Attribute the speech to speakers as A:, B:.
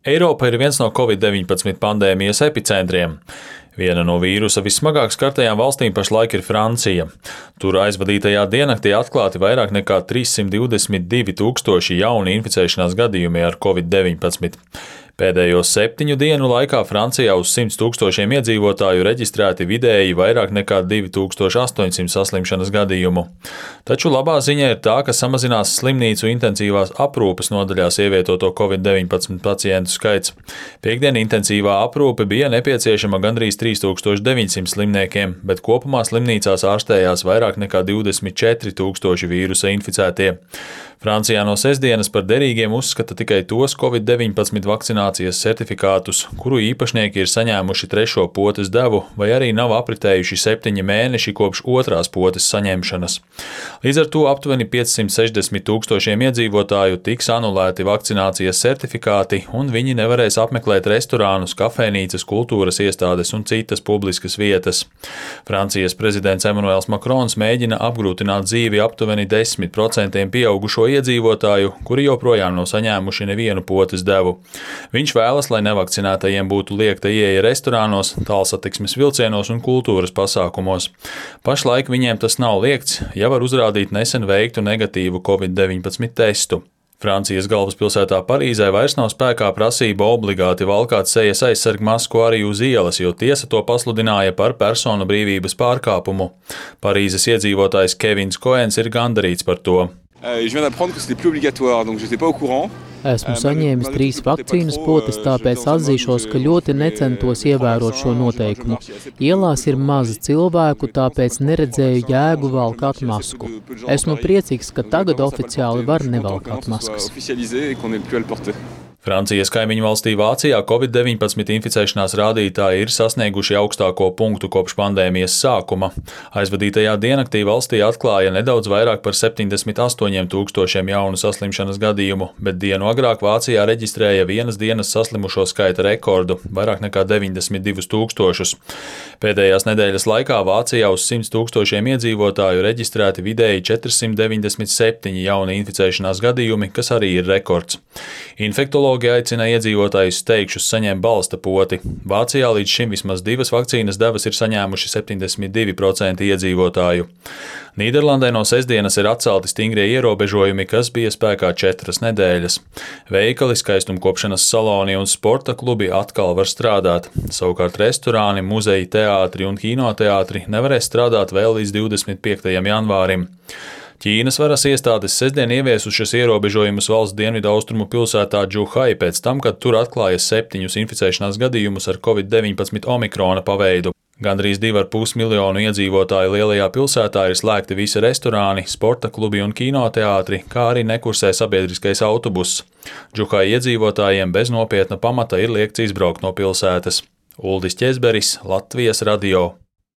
A: Eiropa ir viens no Covid-19 pandēmijas epicentriem. Viena no vīrusa vissmagāk skartajām valstīm pašlaik ir Francija. Tur aizvadītajā diennaktī atklāti vairāk nekā 322 000 jauni inficēšanās gadījumi ar Covid-19. Pēdējo 7 dienu laikā Francijā uz 100 000 iedzīvotāju reģistrēti vidēji vairāk nekā 2800 saslimšanas gadījumu. Taču labā ziņa ir tā, ka samazinās slimnīcu intensīvās aprūpes nodaļās ievietoto Covid-19 pacientu skaits. Piektdien intensīvā aprūpe bija nepieciešama gandrīz 3900 slimniekiem, bet kopumā slimnīcās ārstējās vairāk nekā 24 000 vīrusa inficētie. Francijā no sestdienas par derīgiem uzskata tikai tos Covid-19 vakcinācijas certifikātus, kuru īpašnieki ir saņēmuši 3. potes devu vai arī nav apritējuši 7 mēneši kopš 2. potes saņemšanas. Līdz ar to aptuveni 560 000 iedzīvotāju tiks anulēti vakcinācijas certifikāti, un viņi nevarēs apmeklēt restorānus, kafejnīcas, kultūras iestādes un citas publiskas vietas. Francijas prezidents Emmanuels Macrons mēģina apgrūtināt dzīvi aptuveni 10% pieaugušo iedzīvotāju, kuri joprojām nav saņēmuši nevienu potes devu. Viņš vēlas, lai nevakcinētajiem būtu liegta ieeja restorānos, tālsatiksmes vilcienos un kultūras pasākumos. Pašlaik viņiem tas nav liegts, ja var uzrādīt nesen veiktu negatīvu Covid-19 testu. Francijas galvaspilsētā Parīzē vairs nav spēkā prasība obligāti valkāt sejas aizsargu masku arī uz ielas, jo tiesa to pasludināja par personu brīvības pārkāpumu. Parīzes iedzīvotājs Kevins Koens ir gandarīts par to.
B: Esmu saņēmis 3 vakcīnas potes, tāpēc atzīšos, ka ļoti necentos ievērot šo noteikumu. Ielās ir maz cilvēku, tāpēc neredzēju jēgu valkāt masku. Esmu priecīgs, ka tagad oficiāli var nevalkāt maskas.
A: Francijas kaimiņu valstī Vācijā Covid-19 inficēšanās rādītāji ir sasnieguši augstāko punktu kopš pandēmijas sākuma. Aizvadītajā diennaktī valstī atklāja nedaudz vairāk par 78 000 jaunu saslimšanas gadījumu, bet dienu agrāk Vācijā reģistrēja vienas dienas saslimušo skaita rekordu – vairāk nekā 92 000. Pēdējās nedēļas laikā Vācijā uz 100 000 iedzīvotāju reģistrēti vidēji 497 jauni inficēšanās gadījumi, kas arī ir rekords. Infektologi aicina iedzīvotājus steigšus saņemt balsta poti. Vācijā līdz šim vismaz 2 vakcīnas devas ir saņēmuši 72% iedzīvotāju. Nīderlandē no sestdienas ir atcelti stingrie ierobežojumi, kas bija spēkā 4 nedēļas. Veikali, skaistumkopšanas saloni un sporta klubi atkal var strādāt. Savukārt restorāni, muzeji, teātri un kinoteātri nevarēs strādāt vēl līdz 25. janvārim. Ķīnas varas iestādes sestdien ieviesušas ierobežojumus valsts dienvidaustrumu pilsētā Džuhai pēc tam, kad tur atklāja 7 inficēšanās gadījumus ar Covid-19 omikrona paveidu. Gandrīz 2,5 miljonu iedzīvotāju lielajā pilsētā ir slēgti visi restorāni, sporta klubi un kinoteātri, kā arī nekursē sabiedriskais autobuss. Džuhai iedzīvotājiem bez nopietna pamata ir liegts izbraukt no pilsētas. Uldis Ķezberis, Latvijas radio.